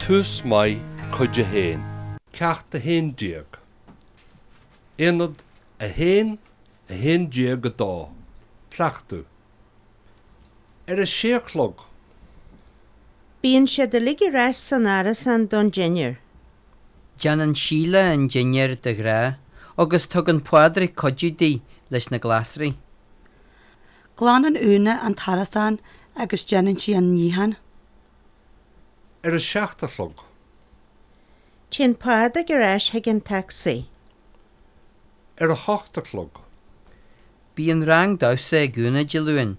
Tús Maith Cuid 1. Ceacht 11. Aonad 1, 11 2. Cleachtadh. Ar a sé a chlog. Bíonn siad uilig ar ais san árasán don dinnéar. Déanann Síle an dinnéar de ghnáth agus tugann Pádraig cuidiú di leis na glasraí. Glanann Úna an t-árasán agus déanann sí an níochán. Ar a seacht a chlog. Téann Pádraig ar ais chuig an tacsaí. Ar a hocht a chlog. Bíonn rang damhsa ag Úna Dé Luain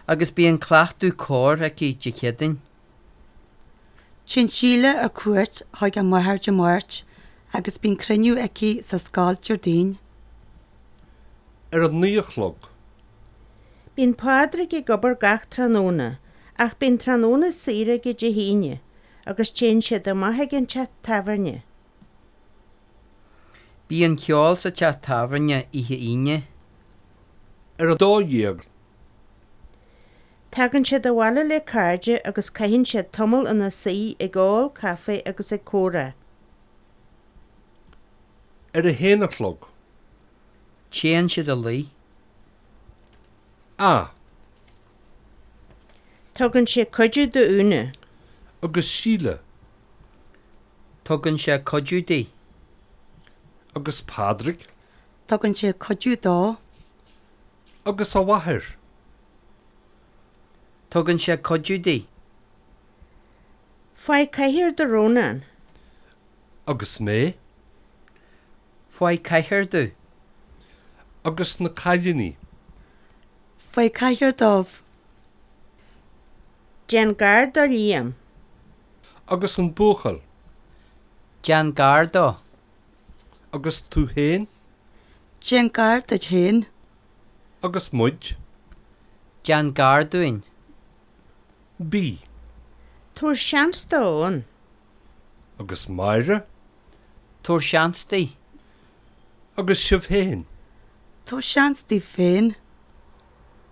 agus bíonn cleachtadh cóir aici Dé Céadaoin. Téann Síle ar cuairt chuig a máthair Dé Máirt agus bíonn cruinniú aici sa scoil Déardaoin. Ar a naoi a chlog. Bíonn Pádraig ag obair gach tráthnóna ach bíonn tráthnóna saor aige Dé hAoine agus téann siad amach ag an teach tábhairne. Bíonn ceol sa teach tábhairne oíche Aoine. Ar a 12. Tagann siad abhaile le cairde agus caitheann siad tamall ina suí ag ól caife agus ag comhrá. Ar a haon a chlog. Téann siad a luí. A. Tugann sé cuidiú d'Úna. Agus Síle. Tugann sé cuidiú di. Agus Pádraig. Tugann sé cuidiú dó. Agus a mháthair. Tugann sé cuidiú di. Faigh cathaoir do Rónán. Agus mé. Faigh cathaoir domh. Agus na cailíní. Faigh cathaoir dóibh. Déan gar do Liam. Agus an buachaill. Déan gar dó. Agus tú féin. Déan gar duit féin. Agus muid. Déan gar dúinn. B. Tabhair seans d'Eoin. Agus Máire. Tabhair seans di. Agus sibh féin. Tabhair seans daoibh féin.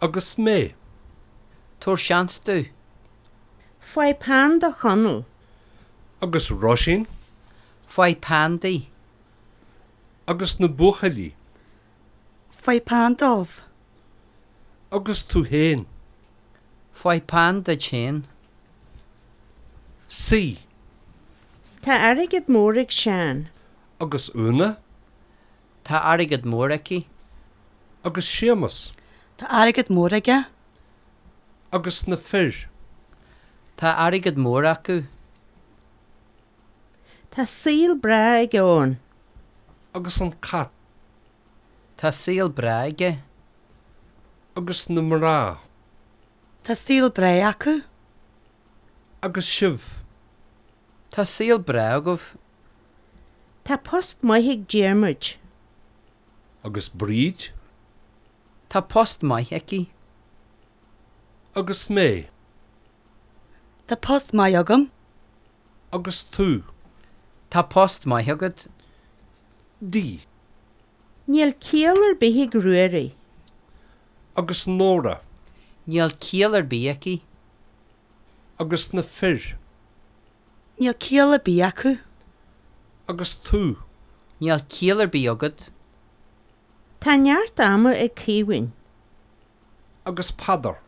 Agus mé. Tabhair seans domh. Faigh peann do Chonall. Agus Róisín. Faigh peann di. Agus na buachaillí. Faigh peann dóibh. Agus tú féin. Faigh peann duit féin. C. Tá airgead mór ag Seán. Agus Úna? Tá airgead mór aici. Agus Séamus? Tá airgead mór aige. Agus na fir? Tá airgead mór acu. Tá saol breá ag Eoin. Agus an cat? Tá saol breá aige. Agus na mná? Tá saol breá acu. Agus sibh? Tá saol breá agaibh. Tá post maith ag Diarmuid. Agus Bríd? Tá post maith aici. Agus mé? Tá post maith agam. Agus tú? Tá post maith agat. D. Níl ciall ar bith ag Ruairí. Agus Nóra? Níl ciall ar bith aici. Agus na fir? Níl ciall ar bith acu. Agus tú? Níl ciall ar bith agat. Tá neart ama ag Caoimhín. Agus Peadar?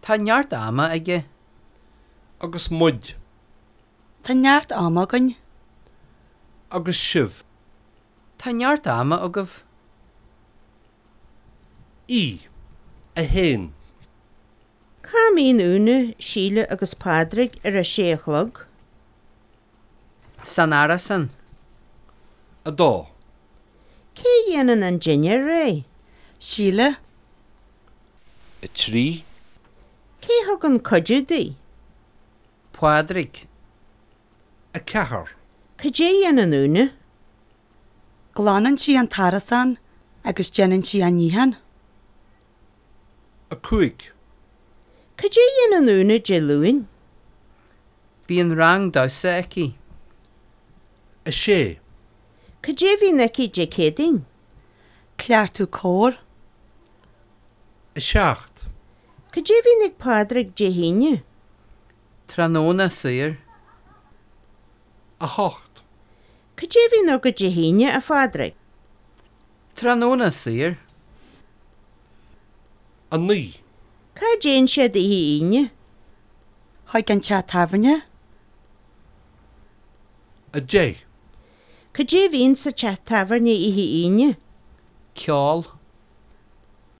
Tá neart ama aige. Agus muid? Tá neart ama againn. Agus sibh? Tá neart ama agaibh. E. 1. Cá mbíonn Úna, Síle agus Pádraig ar a sé a chlog? San árasán. 2. Cé a dhéanann an dinnéar réidh? Síle. 3. Cé a thugann cuidiú di? Pádraig. 4. Cad é a dhéanann Úna? Glanann sí an t-árasán agus déanann sí an níochán. 5. Cad é a dhéanann Úna Dé Luain? Bíonn rang damhsa aici. 6. Cad é a bhíonn aici Dé Céadaoin? Cleachtadh cóir. 7. Cad é a bhíonn ag Pádraig Dé hAoine? Tráthnóna saor. 8. Cad é a bhíonn agat Dé hAoine, a Phádraig? Tráthnóna saor. 9. Cá dtéann siad oíche Aoine? Chuig an teach tábhairne. 10. Cad é a bhíonn sa teach tábhairne oíche Aoine? Ceol.